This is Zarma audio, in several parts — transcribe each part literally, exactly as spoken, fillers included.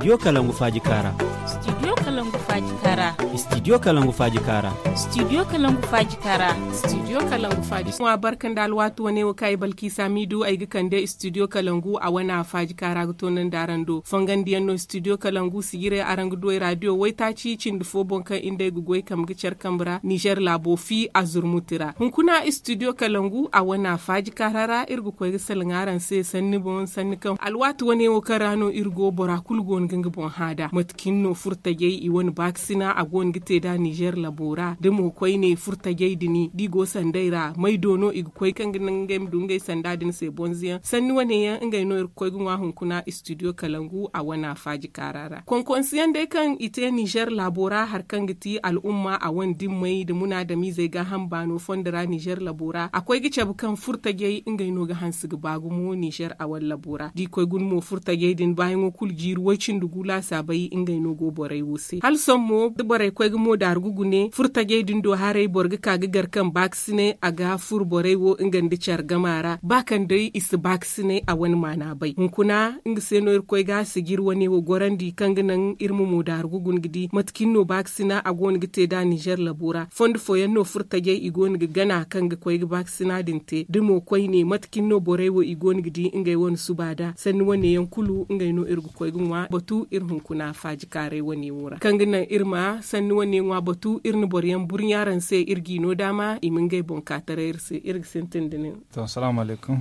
Studio kalangu faaji kaara. Studio kalangu faaji kaara. Studio kalangu faaji kaara. Studio kalangu faaji kaara. Studio kalangu faaji. Ŋwa barka nda alwaati wane wo kaŋ ay balki saamiidu ay ga kande studio kalangu a wane a faaji kaara ga toonandi araŋ do fongandiyaŋ no studio kalangu sijire araŋ ga du ay raadiyo waytaaci cindi fo boŋ kaŋ inda ay ga goy kambe ga care kambe ra nizer laabo fi a zurmuti ra hunkuna studio kalangu a wane a faaji kaara ra iri ga koy ga salaŋ araŋ se sanni boŋ sanni kaŋ alwaati wane wo kaŋ ra no iri go bora kulu go no ga nga boŋ hã nd'a mate kaŋ no furtajey i wane baakasina a go no ga te nd'a nizer labo ra da mo koyne furtajey din da i go sanday ra may do no i ga koy kaŋ ga naŋ ngey ma du ngey sanda din se bonza yaŋ sanni wane yaŋ ngey no iri ga koy ga ŋwa hunkuna studio kalangu a wane a faaji kaara ra konkonsi yaŋ day kaŋ i te nizer laabo ra hari kaŋ ga ti al'umma a wane dimmey nda munaadamiizey gaaham baano fondo ra nizer labo ra a koy ga cabe kaŋ furtajey ngey no ga hanse ga ba gumo nizer a wane labo ra da i koy guna mo furtajey din baayaŋo kulu jiiri way-cindi gu laasaabey ngey no go borey wo se hala sohõ mo da borey koy ga mo daaru ga gune furtajey din do haray boro ga ka ga gar kaŋ baakasinay a ga furo borey wo nga nda care gama ra ba kaŋ day i si baakasinay a wane maana bay hunkuna nga se no iri koy ga sijiri wane wo gorandi kaŋ ga naŋ iri ma mo daaru ga guna ga di mate kaŋ no baakasina a go no ga te nd'a nizer labo ra fondo fooyaŋ no furtajey i go no ga gana kaŋ ga koy ga baakasina din te da mo koyne mate kaŋ no borey wo i go no ga di ngey wane suba nd'a sanni wane yaŋ kulu ngey no iri ga koy ga ŋwa batu iri hunkuna faaji kaaray wane wo ra kaŋ ga naŋ iri ma sanni wane ŋwa batu iri na boro yaŋ burɲa araŋ se iri g'i no daama i ma ngey boŋ ka taray iri se iri ga sintin da nin. To salaamu alaykum.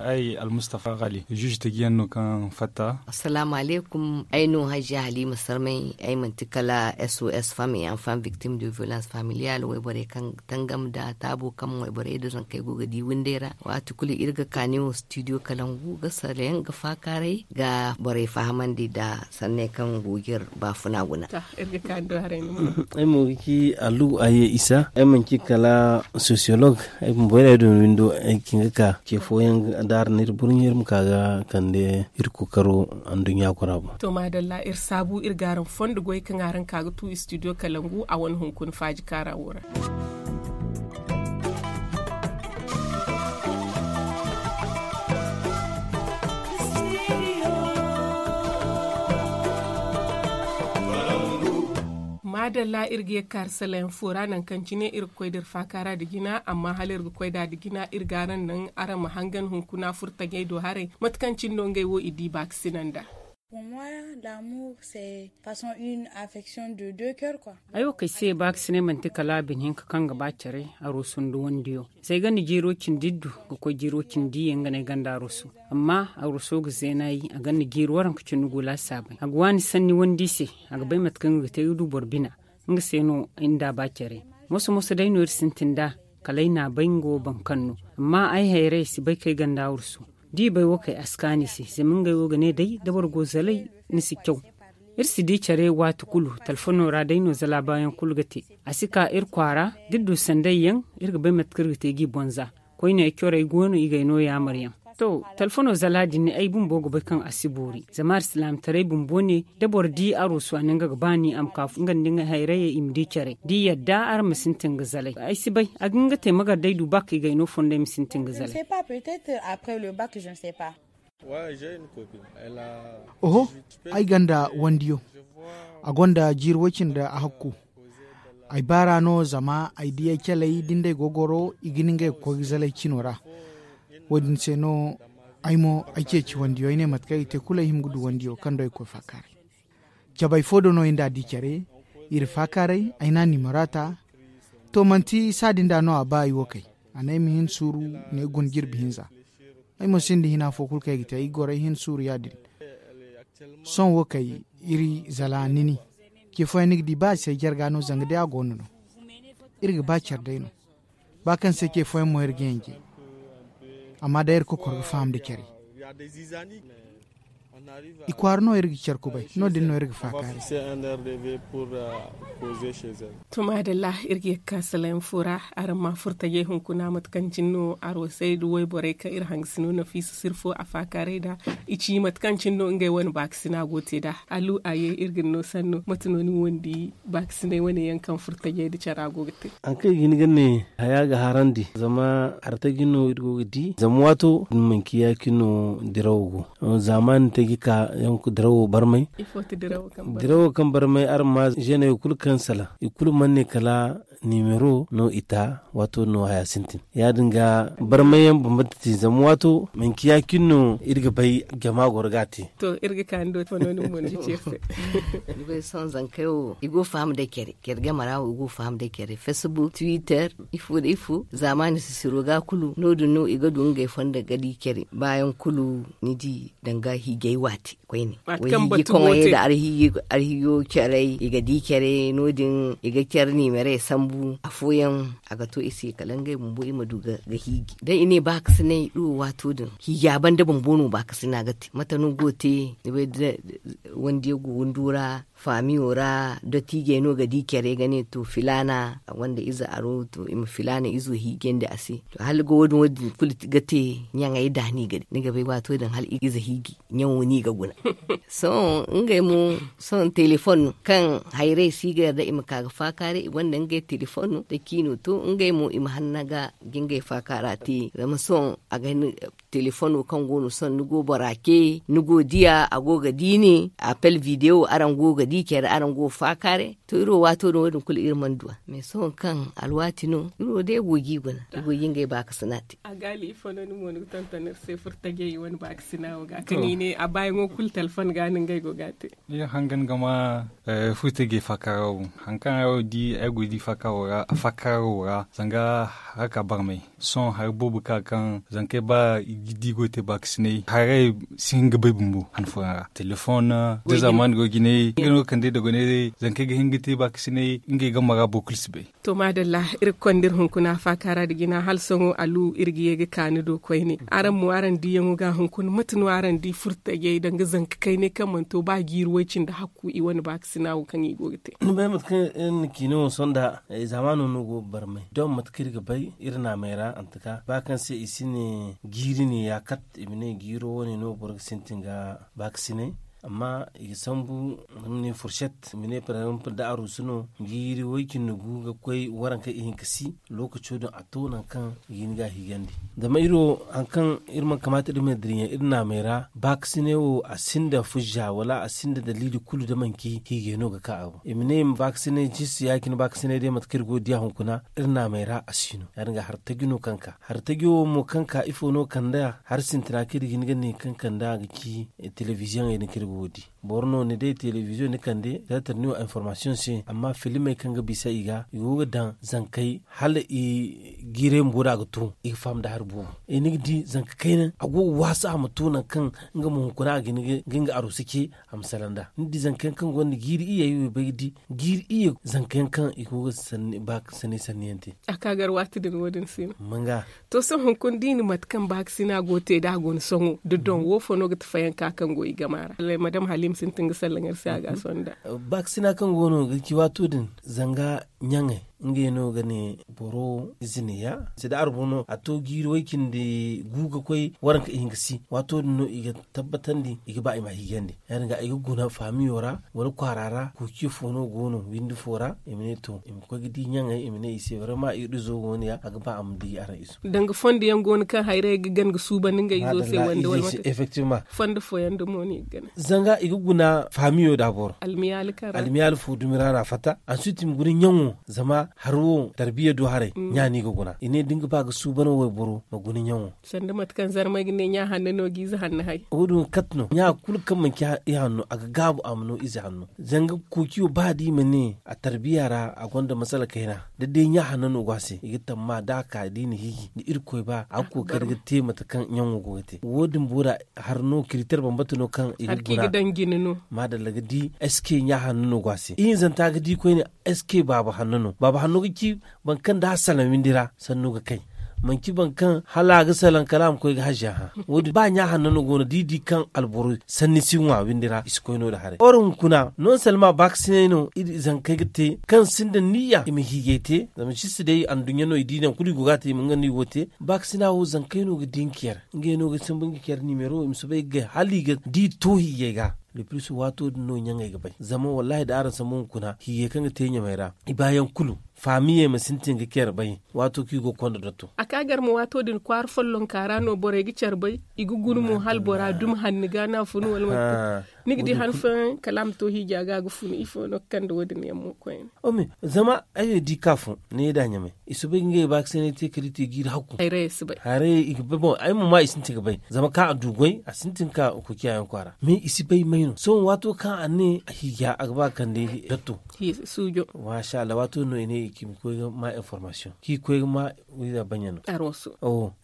Ay almustafa gali juge tajiyaŋ no kaŋ fatta. Assalaamu alaykum. Ay no hajja halima sarmay. Ay manti kala sos femme et enfant victime de violence familiale wayborey kaŋ tangam nda taabo kaŋ wayborey nda zankey go ga di windey ra waati kulu iri ga kaani wo studio kalangu ga sarayaŋ ga faakaaray ga borey fahamandi nda sanney kaŋ go ga iri baafuna guna. Ay mo ga ci alu aye isa ay manci kala sociologue. Ay bumbo ay na ay dooni windo ay ga ci nga ka ce fooyaŋ da araŋ na iri burɲe iri ma ka ga kande iri kookaro anduɲɲa kura boŋ. To maadalla iri saabu iri ga araŋ fondo goy kaŋ araŋ ka ga tu studio kalangu a wane hunkuna faaji kaara wo ra. Maadalla iri ga ye ga kaari salayaŋ fo ra nangu kaŋ cine iri ga koy da iri faakaara nda jina amma hala iri ga koy nd'a nda jina iri ga araŋ naŋ araŋ ma hangan hunkuna furtajey do haray mate kaŋ cine no ngey wo i di baakasina nda. Ay wo kay se baakasinay manti kala bine hinka kaŋ ga ba care. Aroso nda wandiyo zay ganda jiiro cindi iddu ga koy jiiro cindi iyye nga no ay ganda aroso. Amma aroso ga zeenayi a ganda jiiri waranka cindi gu laasaabey a ga waani sanni wandi se. A ga bay mate kaŋ nga ga te ga du boro bina nga se no ay nda a ba care. Moso moso day no iri sintin nd'a kala ay na a bay nga wo baŋ kaŋ no. Amma ay hayray ay si bay kaŋ ay ganda aroso da i bay wo kay a si kaanu i se zama ngey wo ga ne day da boro go zalay ni si caw. Iri si di care waati kulu talfono ra day no zala baayaŋ kulu ga te. A si ka iri kwaara da iri du sanday yaŋ iri ga bay mate kaŋ iri ga te g'i bonza. Koyne ay corey go no i g'ay no yaamar yaŋ. To talfono zala din ay bumbo ga bay kaŋ a si boori zama alsilaamataray bumbo ne da boro di aroso a ne nga ga baani a ma ka nga nda nga hayrayey i ma di care da i yadda araŋ ma sintin ga zalay ay si bay a ga hin ga te magar day du ba kaŋ i g'ay no fondo ay ma sintin ga zalay. Oho, ay gonda wandiyo. A gonda jiiri way-cindi a hakku. Ay baar'a no zama ay di ay caley da ni d'ey go ga goro i ga ni ngey ga koy ga zalay cino ra. Wo-din se no ay mo ay ceeci wandiyo ay ne mate kaŋ ay ga te kulu ay hima ga du wandiyo kaŋ do ay ga koy faakaaray. Cabay fo do no ay nd'a di care. Iri faakaaray ay n'a nimero ta. To manti saadi nd'a no a ba ay wo kay. A ne ay ma hin suuru ne guna jirbi hinza. Ay mo sinda hina fo kulu kaŋ ay ga te ay ga goro ay hin suuru ya-din. Sohõ wo kay iri zala nini. Ce fooyaŋ ni ga di ba a si ay jarga no zanga day a go no no. Iri ga ba care day no. Ba kaŋ se ce fooyaŋ mo iri ga yanje. Amma day iri kokoro ga faham nda care. I kwaara no iri ga care kubay no- din no iri ga faakaaray. To maadalla, iri ga ye ga ka salayaŋ fo ra. Araŋ ma furtajey hunkuna mate kaŋ cine no arwasey nda wayborey kaŋ iri hangasino nafiisa sirfo a faakaaray nd'a. I ci mate kaŋ cine no ngey wane baakasina go te nd'a. Alu a ye iri ga ni no sanno mate no ni wo ni di? Baakasinay wane yaŋ kaŋ furtajey nda cara go ga te. Haŋ kaŋ i ga hin ga ne haya ga harandi zama artaji no iri go ga di zama waato din manci ya-cine no dirawo go. Zaamaani Iri ga ka dirawo barmay. Dirawo kaŋ barmay araŋ ma zeeney kulu kaŋ salaŋ i kulu mana ne kala nimero no i ta. Waato no haya sintin ya- din ga barmay yaŋ bambanta te zama waato manci ya- cine no iri ga bay jama goro ga a te. To iri ga ka ni do fondo ni mo ni ga ci iri se. Ni bay sohõ zankey wo i go ga faham day care care game ra wo i go ga faham day care facebook twitter ifo nda ifo zaamaani sisiro ga kulu no- din no i ga du ngey fondo ga di care baayaŋ kulu. Ni di danga hiijay waati koyne. Way hiiji koŋey nda arhiijo caray i ga di care no- din i ga care nimerey sambu afooyaŋ a ga to i se kala ngey bumbo i ma du ga hiiji da i ne baakasinay iri wo waato din hiija banda bumbo no baakasina ga te mate no go ga te. Ni bay da wande go windo ra faamiyo ra dottiijey no ga di care ga ne to filaana wande ize aro to i ma filaana izo hiijandi a se. To hala ga wo- din kulu ga te ɲaŋey da ni ga di ni ga bay waato din hala ize hiiji ɲaŋo no i ga guna. Sohõ ngey mo sohõ telefon no kaŋ hayrey si ga yarda i ma ka ga faakaaray i gonda ngey telefon no da ciino to ngey mo i ma hanna ga ga ngey faakaara te zama sohõ a ga hin telefono kaŋ go no sohõ ni go bora ce ni go diya a go ga di ne apel videwo araŋ go ga di care araŋ go faakaaray. To iri wo waato din wo- din kulu iri mana du a mais sohõ kaŋ alwaati no iri wo day go ga i guna i go ga ngey baakasina te. A gaali ifo no ni mo ni ga tonton iri se furtajey wane baakasina wo ga kaŋ i ne a baayaŋo kulu telefon ga no ngey go ga a te. Iri hangan ga ma furtajey faakaara wo hari kaŋ ay wo di ay go ga di faakaaro ra zanga haraka barmay. Sohõ hari boobo ka kaŋ zankey ba i ga di go ga te baakasinay haray si hin ga bay bumbo han fooyaŋ ra telefoŋ da zaamaani go ga jinay nga no ga kande dogonay zankey ga hin ga te baakasinay ngey game ra boro kulu si bay. To maadalla iri ga konda iri hunkuna faakaara nda jina hala sohõ alu iri ga ye ga ka ni do koyne araŋ mo araŋ diiyaŋo ga hunkuna mate no araŋ di furtajey danga zanka kaynay kaŋ mana to ba jiiri way cindi hakku i wane baakasina wo kaŋ i go ga te. Ni bay mate kaŋ iri na ciine wo sohõ nda zaamaano no go ga barmay don mate kaŋ iri ga bay iri naamey ra antaka ba kaŋ se i si ne jiiri ne ya kat i ma ne jiiro wane no boro ga sintin ga baakasinay. Amma i ga sambu i ma ne furset i ma ne par exemple da aruusu no jiiri way-cindi gu ga koy waranka ihinka si lookaco din a to nangu kaŋ i ga hin ga a hiijandi. Zama iri wo hari kaŋ iri mana kamaata iri ma dira ɲaŋ iri naamey ra baakasinay wo a sinda fujja wala a sinda daliili kulu da manci hiijay no ga ka a boŋ i ma ne i ma baakasinay ciisi ya- cine baakasinay day mate kaŋ iri go ga diya hunkuna iri naamey ra a si no ya- din ga hari taji no kaŋ ka hari taji wo mo kaŋ ka ifo no kande a hari sintina kaŋ iri ga hin ga ne kaŋ kande a ga ci telebiziyoŋey din kaŋ iri go ga di. Boro no ni day telebiziyoŋ ni kande teetar ni wo informasiyoŋ se amma filimey kaŋ ga bisa i ga i go ga daŋ zankey hala i jiiray bumbo da a ga to i ga faham nda hari boobo. Ni ga di zanka kayna a go ga waasa a ma to nangu kaŋ nga ma hunkuna a ga hin ga nga aruusu ce a ma salaŋ nd'a ni di zanka yaŋ kaŋ gonda jiiri iyye ay wo ay bay ga di jiiri iyye zanka yaŋ kaŋ i go ga sanni ba sanni sanni yaŋ te. A ka gar waati din wo- din si no manga. To sohõ hunkuna da i na mate kaŋ baakasina go ga te da a go ni sohõ da doŋ wo fo no ga ti fayanka kaŋ go i gama ra madam halim sintin ga sallaŋ iri se a ga a sohõ nda. Baakasina kaŋ go no ga ci waato din zanga ɲaŋey ngey no ga ne boro ize ne ya se da arbo no a to jiiri way-cindi gu ga koy waranka ihinka si waato din no i ga tabbatandi i ga ba i ma a hiijandi. Ya- din ga i ga guna faamiyo ra wala kwaara ra kuuciyo fo no go no windi fo ra i ma ne to i ma koy ga di ɲaŋey i ma ne i se barama iri izo go no ya a ga ba a ma di araŋ izo. Danga fondo yaŋ go no kaŋ hayray ga gana ga suuban nga izo se wande wala mate. Fondo fooyaŋ da mo no i ga gana zanga i ga guna faamiyo da boro almiyaali fo dumi ra no a fatta ansuti i ma guna ɲaŋo zama hari wo tarbiya do haray ɲa no i ga guna i ne da ni ga ba ga suuban wayboro ma guna ɲaŋo. Sanda mate kaŋ zarmay ga ne ɲa hanno no ga ize hanno hay wo- din kate no ɲa kulu kaŋ manci i hanno a ga gaabu a ma no ize hanno. Zanga kuuciyo ba da i ma ne a tarbiya ra a gonda masala kayna da day ɲa hanno no go a se i ga tamma da a ka da i na hiiji da irkoy ba a ga kookari ga te mate kaŋ ɲaŋo go ga te wo- din bora. Hari no kiritar bambata no kaŋ i ga guna maadalla ga di eske ɲa hanno no go a se ihinzanta ga di koyne eske baaba hanno no baaba hanno ga ci boro kaŋ da a salaŋ windi ra sanno ga kay manci boro kaŋ hala a ga salaŋ kala a ma koy ga haziya hã wo- din ba ɲa hanno no go no da i di kaŋ alboro sanni si ŋwa windi ra i si koy no- din haray or hunkuna non salma baakasinay no iri zankey ga te kaŋ sinda niyya i ma hiijay te zama si si day anduɲɲa no i di naŋ kulu i go ga a te i ma nga no i go ga te baakasina wo zankey no ga di nga care ngey no ga sambu nga care nimero i ma soobay ga gay hala i ga di to hiijay ga. Le plis waato din no ɲaŋey ga bay zama wallahi da araŋ sambu hunkuna hiijay kaŋ ga te ɲamey ra i baayaŋ kulu faamiyey ma sintin ga care bay. Waato kaŋ i go ga konda dotto. A ka gar ma waato din kwaara follonka ra no borey ga care bay. I ga guna mo hala bora dumi hanni ga no a funu wala mate. Ni ga di han fooyaŋ kala a ma to hiija ga a ga funu ifo no ga kande wo- din yaŋ mo koyne. Zama ay wo di ka fo ne da ɲamay i si bay ga ngey baakasinay te kala i te jiiri hakku. Hayrayey si bay. Hayrayey i ga bay boŋ ay mo ma i sintin ga bay zama kaŋ a du goy a sintin ka kokiya yaŋ kwaara mais i si bay may no sohõ waato kaŋ a ne a hiija a ga ba ga kande gatto. Suujo. Maasa allah waato no i ne i ga i ma koy ga ma information kaŋ i ga koy ga ma wiiza baɲa no.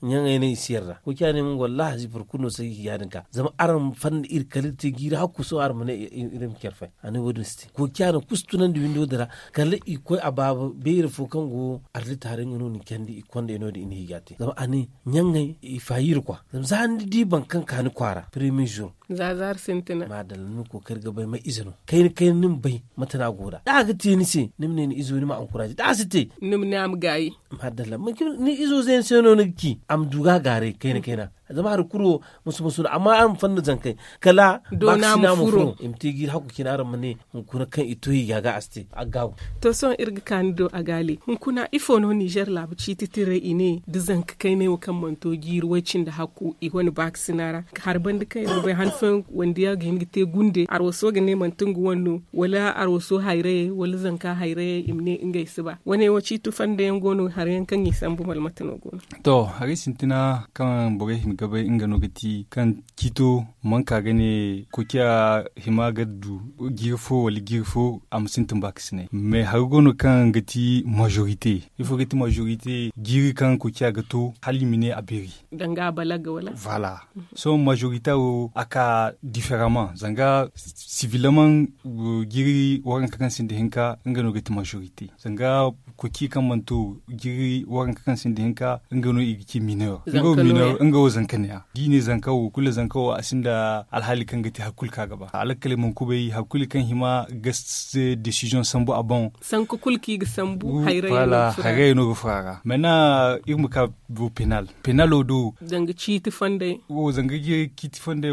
Ɲaŋey ne i si yarda kokiya ne mo wallaahi boro kulu no si ay hiija din ka zama araŋ ma fanda iri kala iri te jiiri hakku sohõ araŋ ma ne iri ma care fay. A ne wo- din si te kokiya no kulu si tunandi windo din ra. Kala i ga koy a baaba beeri fo kaŋ go arlit haray nga no ni candi i ga konda i no- din i na hiija te zama a ne ɲaŋey i faayi iri kwa zama za ni di boro kaŋ ka ni kwaara premier jour. Za zaari sintina. Maadalla ni ma kookari ga bay may ize no kayna kayna ni ma bay mate no a go nd'a da a ga te ni se ni ma ne ni izo ni ma ankuraaze da a si te. Ni ma ne a ma gaayi. Maadalla manci ni izo zeena se no ni ga ci a ma du ga a gaaray kayna kayna. Zama hari kulu wo musu musu no amma araŋ ma fanda zankey kala baakasina ma furo i ma te jiiri hakku cine araŋ ma ne hunkuna kaŋ i to hiija ga a si te a ga gaabu. To sohõ iri ga ka ni do a gaali hunkuna ifo no nizer laabu ciiti tiray i ne da zanka kaynay wo kaŋ mana to jiiri way- cindi hakku i wane baakasina ra. Hari banda kaŋ iri ga bay han fooyaŋ wandiya ga hin ga te gunde arwaso ga ne manti nga wane no wala arwaso hayrayey wala zanka hayrayey i ma ne ngey si ba wane wo ciiti fanda yaŋ go no hari yaŋ kaŋ i sambu malmate no go no. To haray sintina kaŋ borey hima ga bay nga no ga ti kaŋ ciito man ka ga ne kokiya hima ga du jiiri fo wala jiiri fo a ma sintin baakasinay mais hari go no kaŋ ga ti majorite ifo ga ti majorite jiiri kaŋ kokiya ga to hala i ma ne a beeri. Danga a balaga wala. Voilà. Sohõ majorite wo a ka diferaman zanga sivilaman jiiri waranka kaŋ sinda hinka nga no ga ti majorite zanga koki kaŋ mana to jiiri waranka kaŋ sinda hinka nga no i ga ci mineur. Nga wo zanka ne ya da i ne zanka wo kulu zanka wo a sinda alhaali kaŋ ga te hari kulu kaŋ a ga ba alakkaley mana kubay hari kulu kaŋ hima ga desiziyoŋ sambu a boŋ. Sanka kulu kaŋ i ga sambu hayray no ga fura a ra mana iri ma ka bo penal penalo do zanga ciiti fonday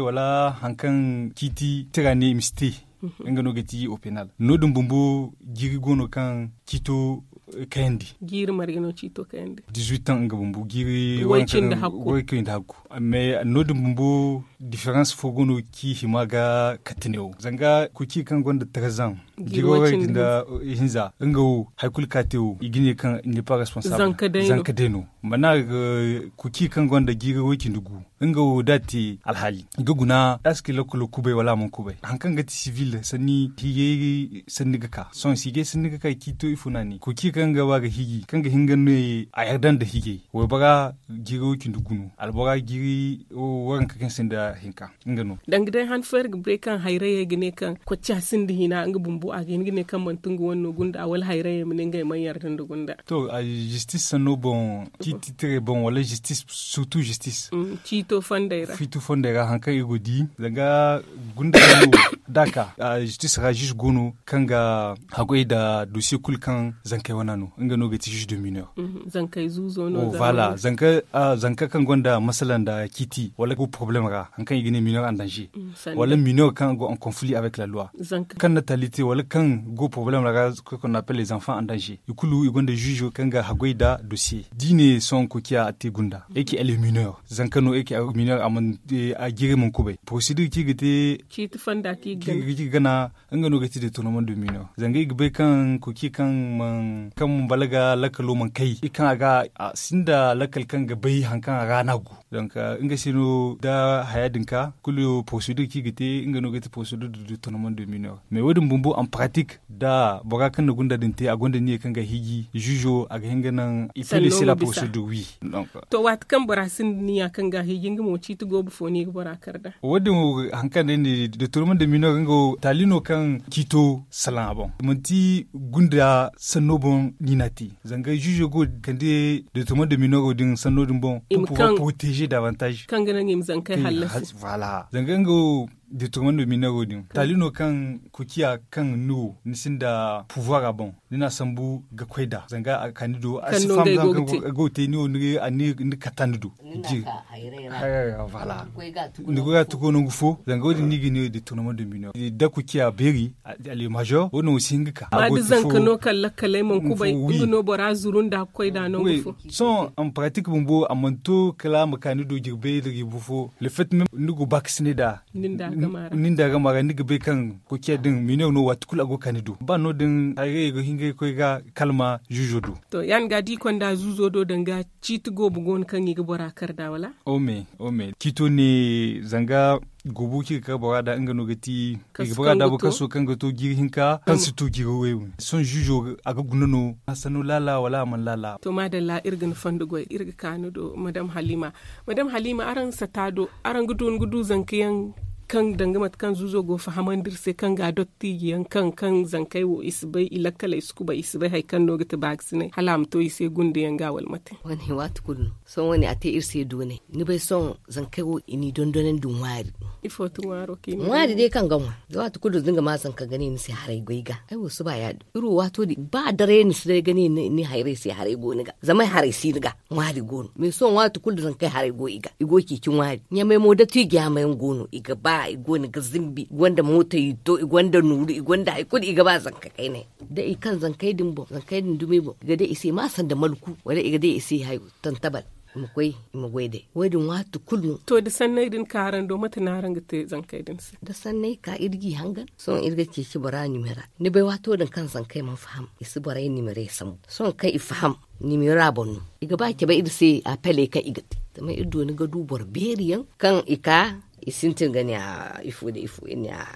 wala hari kaŋ ciiti tira ne i ma si te. Nga no ga ti o penal no- din bumbo jiiri go no kaŋ ciito kayandi. Jiiri marga no ciito kayandi. Dizuit ans nga bumbo jiiri way- cindi hakku. Mais no- din bumbo diferans fo go no kaŋ i hima ga kate ne wo zanga koki kaŋ gonda trezan jiiri way- cindi hinza nga wo hari kulu kaŋ a te wo i ga ne kaŋ ne pa responsable zanka day no mana koki kaŋ gonda jiiri way- cindi gu nga wo da a te alhaali ga guna da a si ga lakkalo kubay wala a mana kubay hari kaŋ ga ti sivil sanni hiijay sanni ga ka sohõ si hiijay sanni ga ka ciito ifo no a ne koki kaŋ ga ba ga hiiji kaŋ ga hin ga ne a yarda nda hiijay waybora jiiri wo- cindi gu no albora jiiri waranka kaŋ sinda hinka. Nga no danga day han fo iri ga bay kaŋ hayrayey ga ne kaŋ kocca sinda hina nga bumbo a ga hin ga ne kaŋ manti nga wane no gunda wala hayrayey ma ne ngey mana yarda nda gunda. To zistis sanno boŋ ciiti tiray boŋ wala zistis surtout zistis ciito fonday ra hari kaŋ iri go ga di zanga gunda no da a ka zistis ra zis go no kaŋ ga haggoy nda dosiye kulu kaŋ zankey wane no nga no ga ti zis de mineur. Zankey zuuzo no. Zanka kaŋ gonda masala nda ciiti wala go poroblem ra hari kaŋ i ga ne mineur en danze wala mineur kaŋ go en conflit avec la loi kaŋ na tali te wala kaŋ go poroblem ra ga koy konda appel les enfants en danze i kulu i gonda ziizo kaŋ ga haggoy nda dosiye da i ne sohõ kokiya a te gunda eke elle est mineur zanka no eke mineur a jiiray mana kubay procédure kaŋ i ga te ciiti fonda kaŋ i ga gana nga no ga ti détournement de mineur zanga i ga bay kaŋ koki kaŋ man balaga lakkalo mana kay i kaŋ a ga a sinda lakkal kaŋ ga bay hari kaŋ a ga no a go. Donc nga se no da haya din ka kulu procédure kaŋ i ga te nga no ga ti procédure de détournement de mineur mais wo- din bumbo en pratique da bora kaŋ na gunda din te a gonda niya kaŋ ga hiiji ziizo a ga hin ga naŋ i pele se la procédure wi. To waati kaŋ bora sinda niya kaŋ ga hiiji nga mo ciiti goobu fo no i ga bora kar nd'a. Wo- din wo hari kaŋ day ne détournement de mineur nga wo taali no kaŋ ciito salaŋ a boŋ manti gunda sanno boŋ no i n'a te zanga ziizo go ga kande détournement de mineur din sanno din boŋ pour pouvoir protéger davantage kaŋ ga naŋ i ma zankey hallasi. Zanga nga wo Deturman do minaro din taali no kaŋ kuciya kaŋ ni wo ni sinda puvuwara boŋ, ni n'a sambu ga koy nd'a zanga a ga ka ni do a si faham zanga kaŋ go ga te ni wo ni katta ni do. Ni goy ga tuko nangu fo zanga wo- din ni ga ne deturman do minaro da kuciya beeri. Alemazo wo- no si hin ga ka ma da zanka no kaŋ lakkaley mana kubay nga no bora zuru nd'a ga koy nd'a nangu fo. Sohõ en pratik bumbo a mana to kala a ma ka ni do jirbay da riibu fo le fait même ni go baakasinay nd'a. Ni nda gama ra ni ga bay kaŋ kokiya din mineur no waati kulu a go ga ka ni do ba no- din hayrayey ga hin ga koy ga kalma zuuzo do. To ya- din ga da i konda zuuzo do danga ciiti goobo go no kaŋ i ga bora kar nd'a wala? Ome ome ciito ne zanga goobo kaŋ i ga kar bora nd'a nga no ga ti i ga bora daabu kaso kaŋ ga to jiiri hinka kaŋ si to jiiri way. Sohõ zuuzo a ga guna no a sanno laala wala a mana laala? To maadalla iri ga ni fondo goy iri ga ka ni do madam halima. Madam halima araŋ sata do araŋ ga du ni ga du zanka yaŋ kaŋ danga mate kaŋ zuuzo go fahamandi iri se kaŋ ga dottiiji yaŋ kaŋ kaŋ zankey wo i si bay i lakkaley si kubay i si bay hari kaŋ no ga ti baakasinay hala a ma to i se gunde yaŋ ga wala mate? Wane waati kulu no sohõ wane a te iri se doonay ni bay sohõ zankey wo i n'i dondonandi ŋwaari. Ifo ti ŋwaaro kaŋ i ma ŋwaari day kaŋ ga ŋwa da waati kulu da ni ga ma zanka ga ne ni se haray goy ga ay wo si ba ya- din iri wo waato din ba daray ni si day ga ne ni hayrey se haray go ni ga zama ay haray si ni ga. Ŋwaari go no mais sohõ waati kulu da zankey haray go i ga i go ga ceeci ŋwaari ɲamay mo da tiijaama yaŋ go no i ga ba i go no ga zimbi i gonda mootey i to i gonda nuuru i gonda hari kulu i ga ba zanka kaynay da i kaŋ zankey din boŋ zankey din dumey boŋ i ga day i se ma sanda malku wala i ga day i se hayo tantabal. I ma koy i ma goy day wo- din waati kulu no. To da sanney din ka araŋ do mate no araŋ ga te zankey din se? Da sanney ka iri g'i hangan sohõ iri ga ceeci bora nimera ni bay waato din kaŋ zankey mana faham i si borey nimerey sambu sohõ kaŋ i faham nimera boŋ no i ga ba cabe iri se apeley kaŋ i ga te zama iri dooni ga du boro beeri yaŋ kaŋ i ka i sintin ga ne a ifo nda ifo iri ne a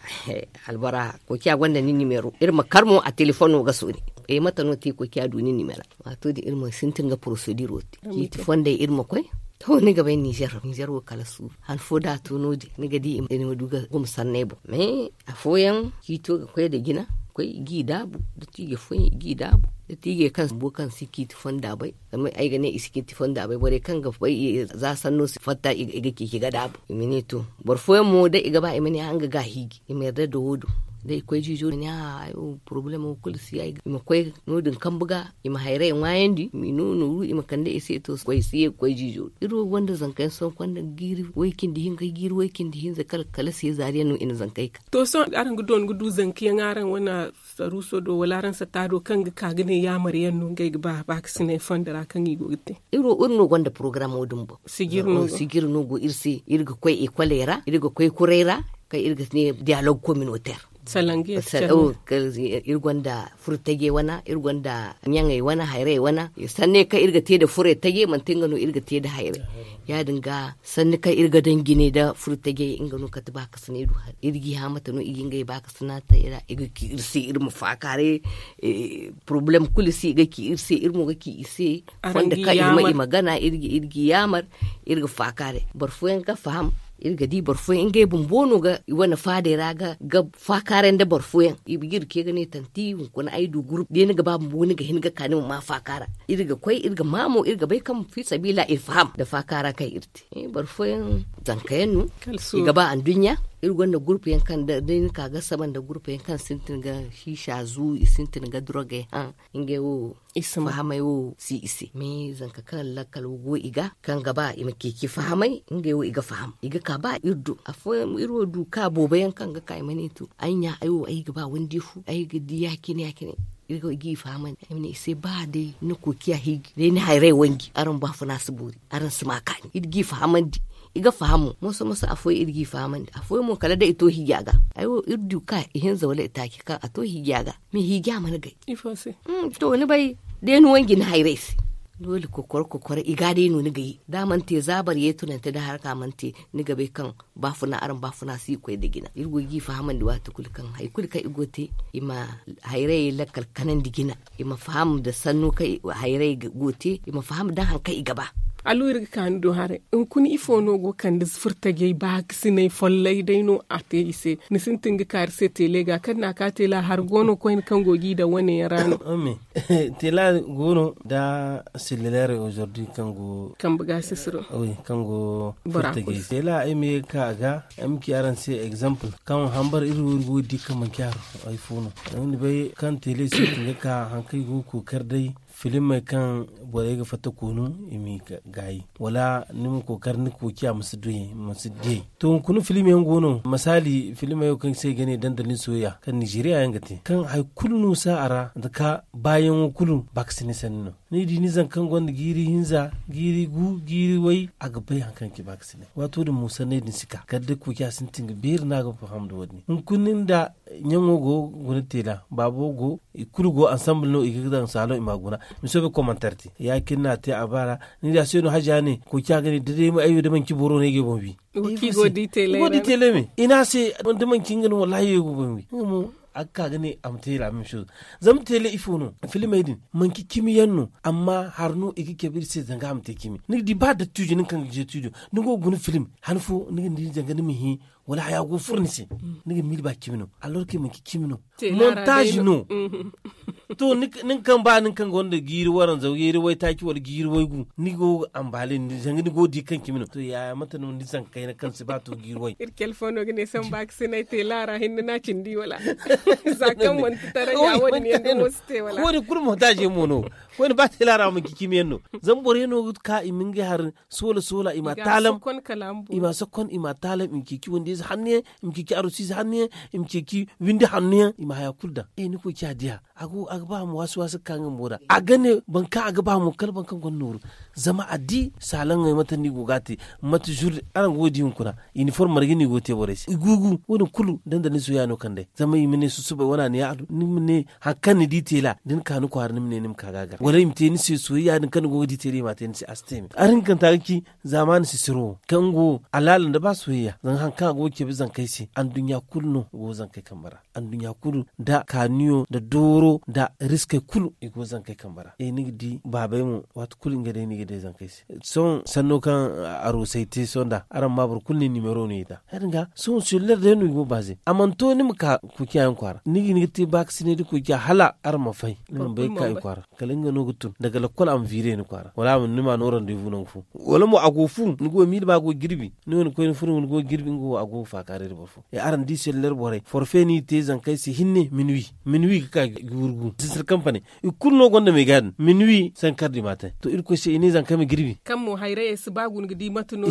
albora kokiya gonda ni nimero iri ma kar mo a telefono ga sooni. Mate no te kokiya du ni nimera waato din iri ma sintin ga porosediro te ciiti fondey iri ma koy. To ni ga bay ninzeer ninzeer wo kala suuru han fo da a to no- din ni ga di i ma du ga guma sanney boŋ mais afooyaŋ ciito ga koy nda jina koy i g'i daabu da tiijey fooyaŋ i g'i daabu da tiijey kaŋ bumbo kaŋ si ciiti fonda bay zama ay ga ne i si ciiti fonda bay borey kaŋ ga bay za sanno si fatta i ga ceeci ga daabu i ma ne to. Boro fooyaŋ mo da i ga ba i ma ne a nga ga hiiji i ma yarda nda wo- din da i koy ziizo i ma ne a ay wo porobalemo kulu si ay ga i ma koy no- din kambu ga i ma hayrey ŋwaayandi i ma i no nooru i ma kande i se to koy si ye ga koy ziizo iri wo gonda zanka yaŋ sohõ konda ga jiiri way- cindi hinka jiiri way- cindi hinza kala kala se zaari yaŋ no i na zankey ka. To sohõ araŋ ga doona ga du zanka yaŋ araŋ wane saruuso do wala araŋ sata do kaŋ ga ka ga ne yaamar yaŋ no ngey ga ba baakasinay fondo ra kaŋ i go ga te? Iri wo iri no gonda porogaraamo din boŋ. Sijir no go iri se iri ga koy ekoley ra iri ga koy kurey ra kaŋ iri ga ne diyalog kominoter. Iri gonda furo taje wana iri gonda ɲaŋey wana hayrey wana sanney kaŋ iri ga te nda furey taje manti nga no iri ga te nda hayrey. Ya- din ga sanni kaŋ iri ga daŋ jine nda furo taje nga no kate baakasinay du hari iri g'i hã mate no i ga ngey baakasina te i ra i ga ki iri se iri ma faakaaray. Porobalem kulu se i ga ki iri se iri mo ga ki i se fondo kaŋ i ma i ma gana iri g'i yaamar iri ga faakaaray boro fooyaŋ ga faham. Iri ga di boro fooyaŋ ngey bumbo no ga i wane faadey ra ga faakaaray nda boro fooyaŋ i ga iri ce ga ne tanti hunkuna ay du gurup da ni ga ba bumbo ni ga hin ga ka ni ma ma faakaara. Iri ga koy iri ga ma mo iri ga bay kaŋ fiisabila i faham nda faakaara kaŋ iri te. Boro fooyaŋ zanka yaŋ no i ga ba anduɲɲa. Iri gonda gurup yaŋ kaŋ da ni ka ga saba nda gurup yaŋ kaŋ sintin ga hiisa zu i sintin ga dorogey haŋ. Ngey wo fahamay wo si i se mais zanka kaŋ lakkal go i ga kaŋ ga ba i ma ceeci fahamay ngey wo i ga faham i ga ka ba iri do afooyaŋ iri wo du ka boobo yaŋ kaŋ ga ka i ma ne to ay ɲa ay wo ay ga ba wandi fu ay ga di ya- cine ya- cine. Iri ga i g'i fahamandi ay ma ne i se ba day ni koociya hiiji day ni hayray wanji araŋ baafuna si boori araŋ si ma kaani iri g'i fahamandi. I ga faham mo moso moso afooyaŋ iri g'i fahamandi afooyaŋ mo kala day i to hiija ga. Ay wo iri du ka ihinza wala itaaci kaŋ a to hiija ga. Mais hiija mana gay. To ni bay day ni wanji ni hayray se. Doole kokoro kokoro i ga day no ni ga ye da a mana te za boro ye tunante da haraka mana te ni ga bay kaŋ baafuna araŋ baafuna si koy nda jina iri go ga i fahamandi waati kulu kaŋ hari kulu kaŋ i go ga te i ma hayray lakkal kanandi jina. I ma faham nda sanno kaŋ hayray go te i ma faham da hari kaŋ i ga ba. Allo iri ga ka ni do haray. Hunkuna ifo no go kande furtajey baakasinay follay day no a te i se? Ni sintin ga kaari se teele ga kaŋ na a ka teela hari go no koyne kaŋ go ga i daŋ wane yaŋ ra no? Teela go no nda selluleerey aujourd'hui kaŋ go kambe ga sisiro. Kaŋ go furtajey teela ay ma ye ga ka a ga ay ma ci araŋ se exemple kaŋ hambar iri wo iri go ga di kaŋ manci hari ay fo no. Zama ni bay kaŋ teele sintin ga ka hari kaŋ i go ga kookari day filimey kaŋ borey ga fatta koonu i m'i gaayi wala ni ma kookari ni kookiya ma si diyey. To hunkuna filim yaŋ go no masaali filimey wo kaŋ se i ga ne dandalin soyayya kaŋ nizeriya yaŋ ga te kaŋ hari kulu no si a ra nda ka baayaŋo kulu baakasinay sanni no. Ni di ni zanka kaŋ gonda jiiri hinza jiiri gu jiiri way a ga bay hari kaŋ ga ci baakasinay waato din mo sanney din si ka kala day kookiya sintin ga beeri no a ga faham nda wo- din hunkuna ni nda ɲaŋo go guna teela baabo go i kulu go ansamble no i ga daŋ saalo i ma guna. Miso bay komantar te ya- cine no a te a baara ni di a se no haja ne koy ci a ga ne da day ay wo da manci boro no ay ga ay boŋ wi. I go di teela me i ne a se da manci nga no wallahi ay wo ay ga ay boŋ wi nga mo a ga ka ga ne a ma teela meme shozo. Zama teela ifo no filimey din manci cimi yaŋ no amma hari no i ga cabe iri se zanga a ma te cimi ni ga di ba dattijo nin kaŋ ga je tijo ni go ga guna filim han fo ni ga ni di zanga ni ma hẽ wala haya go ga furo ni se. Ni ga miila ba cimi no alorke manci cimi no. Montaaz no. To nin kaŋ ba nin kaŋ gonda jiiri waranza jiiri waytaaci wala jiiri waygu ni go ga ambaale ni zanga ni go ga di kaŋ cimi no to yaya mate no ni zankayna kaŋ si ba to jiiri way. Iri cale fo no ga ne samba ga sinay teela ra hinne no a cindi wala? Za kaŋ manti taray ya wo- din yaŋ dumo si te wala? Wo- din kulu montaaz yaŋ mo no. Koyne ba teela ra manci cimi yaŋ no. Zama boro yaŋ no ga ka i ma ngey hari soola soola i ma taalam. I ma sokon i ma taalam i ma ceeci wande ize hanno yaŋ i ma ceeci arusi ize hanno yaŋ i ma ceeci windi hanno yaŋ i ma haya kulu daŋ. Ni koy ci a diya a ga ba a ma waasi waasi ga ka nga bumbo da a ga ne boro kaŋ a ga ba mo kala boro kaŋ gonda nooru. Zama a di saalaŋey mate no i go ga a te mate zurdi araŋ go ga di hunkuna. Iniform marga no i go ga te borey se i guugu wo- din kulu dandali ni soya no kand'ey zama i ma ne susubay wane a ne ya a du ni ma ne hari kaŋ ni di teela da ni ka ni kwaara ni ma ne ni ma ka ga a gar wala i ma te ni se soyayya din kaŋ ni go ga di teela i m'a te ni se a si te me. Araŋ hinkanta ga ci zaamaani sisiro wo kaŋ go alaala nda ba soyayya zama hari kaŋ a go ga cabe zankey se anduɲɲa kulu no go ga zankey kambe ra. Anduɲɲa kulu nda kaaniyo nda dooro nda riskey kulu i go ga zankey kambe ra. Ni ga di baabey mo waati kulu nga day no i ga day zankey se. Sohõ sanno kaŋ aroosey te sohõ nda araŋ ma boro kulu ne nimero no i daŋ ya- din ga sohõ selluler day no i go ga baaze a mana to ni ma ka kuuciya yaŋ kwaara ni ga hin ga te baakasinay nda kuuciya hala araŋ ma fay ni mana bay ga ka i kwaara. Kala nga no ga tun daga lakkol a ma viire ni kwaara wala a ma ni ma no randevu nangu fo wala mo a go ga fu ni go ga miila ba a go ga jirbi ni wane koyne furo ni go ga jirbi nga wo a go ga faakaaray nda boro fo. Araŋ di selluler borey forfe no i te zankey se hinne minuwi minuwi ga ka ga wurgu sisir kampane i kulu no gonda meega din minuwi sankardi ma te to irkoy se i ne zankey ma jirbi. Kaŋ mo hayrayey si ba guna ga di mate no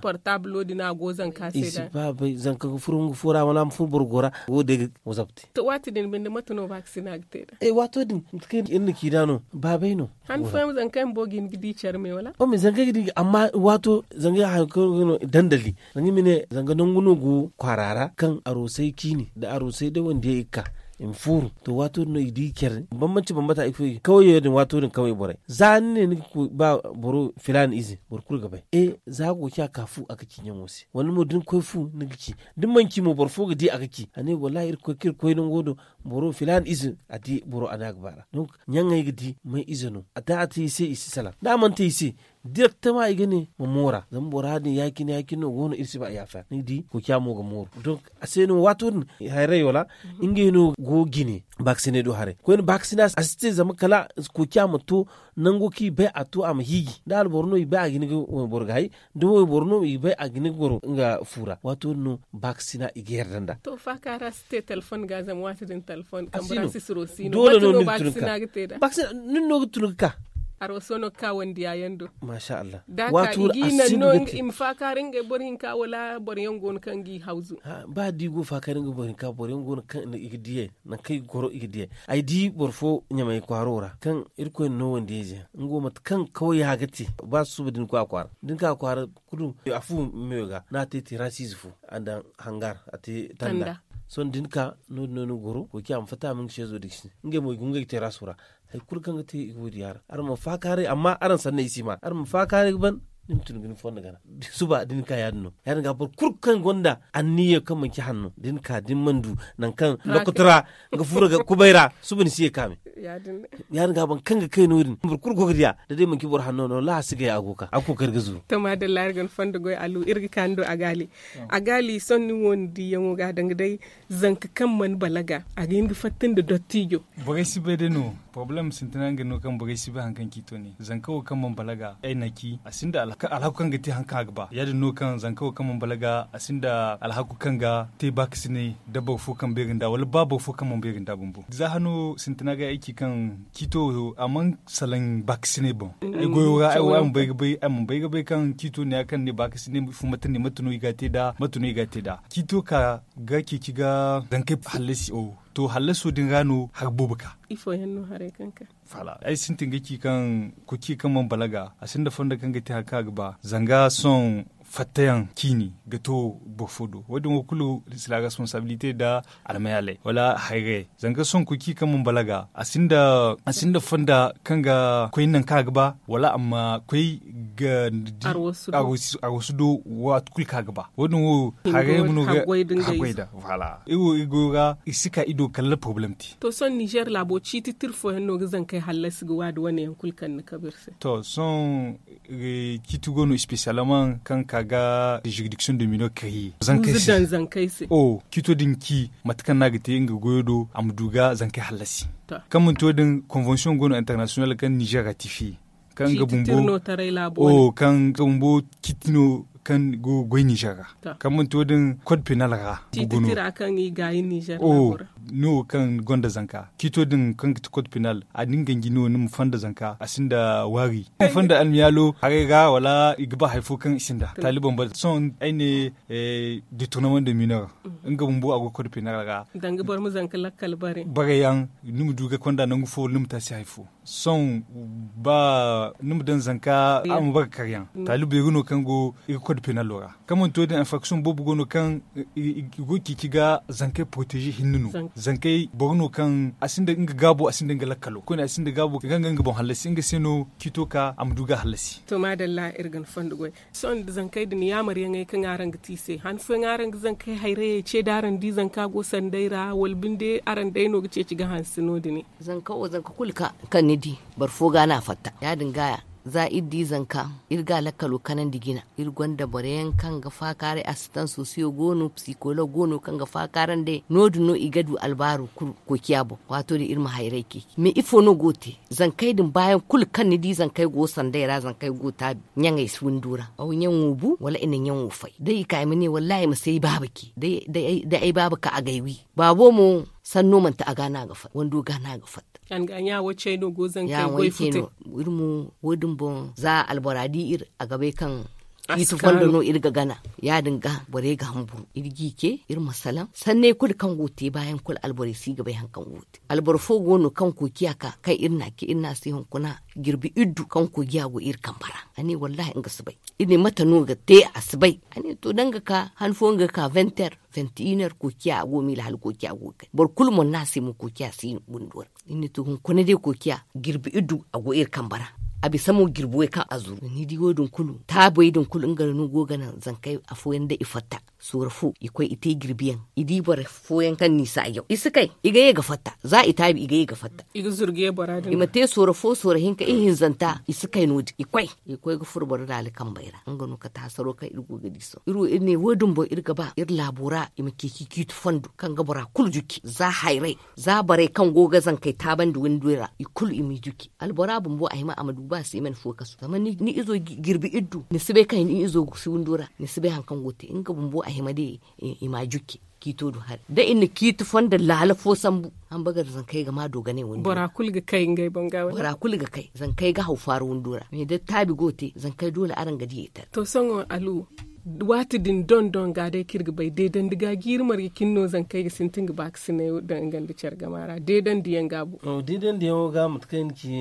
portablo din a go zanka se da i si ba bay zanka ga furo nga fo ra wala a ma furo boro go ra wo day ga wazab te. To waati din binde mate no ba ga sina ga te da e waato din mate kaŋ iri na ci da no baabay no. Han fooyaŋ zankey bumbo ga hin ga di care me wala? Ome zankey ga di amma waato zankey hayo kaŋ ga no dandali zanga ma ne zanga nangu no go kwaara ra kaŋ aroosey ciini nda aroosey day wandiyey i ga ka i ma fooru. To waato din no i di care bambanci bambata ifo i ga kawayey din waato din kaway borey za ni ne ni ga koy ba boro filaana ize boro kulu ga bay e za go ci a ka fu a ga ci ɲaŋo se wala mo da ni koy fu ni ga ci da ni mana ci mo boro fo ga di a ga ci a ne wallahi irkoy kaŋ iri koy nango do boro filaana ize a di boro a ne a ga baara. Ɲaŋey ga di may ize no a te a te i se i si salaŋ da a mana te i se direktama i ga ne ma moora zama bora din ya- cine ya- cine no go no iri si ba yaafa ni ga di koociya mo ga mooru donk a se no waato din hayrey wala ngey no go ga jine baakasinay do haray koyne baakasina a si te zama kala koociya ma to nango kaŋ i bay a to a ma hiiji da alboro no i bay a ga hin ga wayboro ga hay da wayboro no i bay a ga hin ga goro nga fu ra waato din no baakasina i ga yarda nd'a. To faaka ra si te telefon ga zama waati din telefon kambe ra sisiro si no mate no baakasina ga te nd'a. Nin no ga tun ga ka. Arooso no ga ka wandiya yaŋ do. Masha Allah. Da ka i ga i naŋ no i ma faakaari ngey boro hinka wala boro yaŋ go no kaŋ ga i hawzu. Ba da i go faakaari ngey boro hinka boro yaŋ go no kaŋ i ga diyey nangu kaŋ i ga goro i ga diyey. Ay di boro fo ɲamay kwaaro ra kaŋ irkoy na no wandiyey ze nga wo mate kaŋ kawya ga te ba susuba da ni koy a kwaara da ni ka a kwaara kulu a fu meyo ga no a te terasiize fo a daŋ hangar a te tanda. Sohõ da ni ka no- din no ni ga goro koociya ma fatta a ma nga seezo diksin ngey mo i ga ngey teraso ra. Hari kulu kaŋ ga te i go diya ra araŋ ma faakaaray amma araŋ sanney i si ma araŋ ma faakaaray ga ban. ni ma tun ga ni fondo gana. Suba da ni ka ya- din no. Ya- din ga boro kulu kaŋ gonda anniya kaŋ manci hanno da ni ka da ni mana du nangu kaŋ lokotora nga furo ga kubay ra. Suba ni si ye ka me. Ya- din ga boro kaŋ ga kay no- din boro kulu go ga diya da day manci boro hanno no wallaahi a si gay a go ga ka a ga kookari ga zuru. To maadalla iri ga ni fondo goy alu iri ga ka ni do a gaali. A gaali sohõ ni wo ni diyaŋo ga a danga day zanka kaŋ mana balaga a ga hin ga fatta nda dottijo. Borey si bay day no. Porobalem sintina nga no kaŋ borey si bay hari kaŋ ciito ne zanka wo kaŋ mana balaga ay na ci a sinda alhaku kaŋ ga te hari kaŋ a ga ba ya- din no kaŋ zanka wo kaŋ mana balaga a sinda alhaku kaŋ ga te baakasinay da boro fo kaŋ beeri nda wala ba boro fo kaŋ mana beeri nda bumbo za hano sintina ga ay ci kaŋ ciito wo a mana salaŋ baakasinay boŋ. Ay goyo ra ay wo ay mana bay ga bay kaŋ ciito ne ya kaŋ ne baakasinay fumata ne mate no i ga a te nd'a mate no i ga a te nd'a ciito ka ga ceeci ga zankey hallasi. To hallaso din ra no hari boobo ka. Ifo yaŋ no haray kaŋ ka? Ay sintin ga ci kaŋ kuci kaŋ mana balaga a sinda fondo kaŋ ga te hari kaŋ a ga ba zanga sohõ fattayaŋ ciini ga to boro fo do wo- din wo kulu sila responsabilite nda almayaalay wala hayrayey zanga sohõ kuci kaŋ mana balaga a sinda fondo kaŋ ga koy nangu kaŋ a ga ba wala a ma koy ga arwasu do waati kulu kaŋ a ga ba wo- din wo hayrayey ma no ga haggoy nda. Iri wo iri goyo ra iri si ka i do kala porobalem te. To sohõ ninzeer laabo ciiti tira fooyaŋ no ga zankey hallasi ga waadi wane yaŋ kulu kaŋ ni kabe iri se. To sohõ ciiti go no espesiyalman kaŋ ka ga juridiksion de minor kariye zankey se. Ciito din ci mate kaŋ no a ga te nga goyo do a ma du ga zankey hallasi. Kaŋ manti wo- din konvensiyon go no internasiyonal kaŋ ninzeer ratifiye kaŋ nga bumbo ciiti no taray laabo wane kaŋ nga bumbo ciiti no kaŋ go ga goy ninzeer ra. Kaŋ manti wo- din kod penal ra ciiti tira kaŋ i gaayi ninzeer laabo ra. No kaŋ gonda zanka ciito din kaŋ ga ti kod penal a din ganji no ni ma fonda zanka a sinda waari ni ma fonda almiyaalo haray ra wala i ga ba hari fo kaŋ i sinda taali bambam sohõ ay ne detournement de mineur nga bumbo a go kod penal ra. Danga boro ma zanka lakkal bare bare yaŋ ni ma du ga konda nangu fo wala ni ma taasi hari fo. Sohõ ba ni ma daŋ zanka a ma bare karyaŋ taali beeri no kaŋ go iri kod penalo ra kaŋ manti wo- din infraction boobo go no kaŋ i go ga ceeci ga zankey poroteeze hinne no. Zankey boro no kaŋ a sinda nga gaabo a sinda nga lakkalo koyne a sinda gaabo ga nga nga boŋ hallasi nga se no ciito ka a ma du ga hallasi. To maadalla iri ga ni fondo goy. Sohõ nda zankey din yaamar yaŋey kaŋ araŋ ga te i se han fooyaŋ araŋ ga zankey hayrayey ce da araŋ di zanka go sanday ra wala binde araŋ day no ga ceeci ga hanse no- din. Zanka wo zanka kulu kaŋ ni di boro fo ga no a fatta ya- din ga za iri di zanka iri ga lakkalo kanandi jina iri gonda boro yaŋ kaŋ ga faakaaray asistans sosiyo go no psikolog go no kaŋ ga faakaarandi no- din no i ga du albaaru kulu koociya boŋ waato din iri ma hayray ceeci mais ifo no go ga te? Zankey din baayaŋ kulu kaŋ ni di zankey go sanday ra zankey go taabi ɲaŋey si windo ra aw ɲaŋo bu wala i na ɲaŋo fay day i ka i ma ne wallaahi i ma si ay baaba ce day ay baaba ka a ga ay wi. Baabo mo sanno manti a ga no a ga fatta wando ga no a ga fatta. Iri mo wo- din boŋ za albora di iri a ga bay kaŋ ciiti fondo no iri ga gana ya- din ga borey ga hamburu iri ga i ce iri ma salaŋ sanney kulu kaŋ go ga te baayaŋ kulu alborey si ga bay hari kaŋ go ga te alboro fo go no kaŋ koociya ka kaŋ iri na a ce iri no a se hunkuna jirbi iddu kaŋ koociya go iri kambe ra a ne wallaahi nga si bay. Iri ne mate no ga te a si bay a ne to da nga ka han fooyaŋ ga ka venter venter koociya a go miila hala koociya go ga kay boro kulu mana ne a se mo koociya si windo ra. Iri ne to hunkuna day koociya jirbi iddu a go iri kambe ra a bisa mo jirbi way kaŋ a zuru ni di wo- din kulu taabey din kulu nga no go ga naŋ zankey afooyaŋ da i fatta soora fo i koy i te jirbiyaŋ i di boro fooyaŋ kaŋ no i saajaw i si kay i ga ye ga fatta za i taabi i ga ye ga fatta i ma te soora fo soora hinka ihinzanta i si kay no- din i koy i koy ga furo boro daali kambey ra nga no kate hasaro kaŋ iri go ga di sohõ iri wo iri ne wo- din boŋ iri ga ba iri laabo ra i ma ceeci ciiti fondo kaŋ ga bora kulu juci za hayray za borey kaŋ go ga zankey taabandi windo ra i kulu i m'i juci albora bumbo a hima a ma du ba seeman fo kasu zama ni izo jirbi iddu ni si bay kaŋ ni izo si windo ra ni si bay hari kaŋ go ga te nga bumbo a hima day i m'a juci ciito do hari da i na ciiti fondo laala fo sambu hamba ga da zankey ga ma dooganay windo ra bora kulu ga kay zankey ga haw faara windo ra mais da taabi go ga te zankey doole araŋ ga di i tara to sohõ alu Waati din doŋ doŋ ga day kaŋ iri ga bay deedandi ga jiiri marje cine no zankey ga sintin ga ba ga sinay daŋ nga nda care gama ra deedandi yaŋ ga bu. Deedandi yaŋo ga mate kaŋ i na ci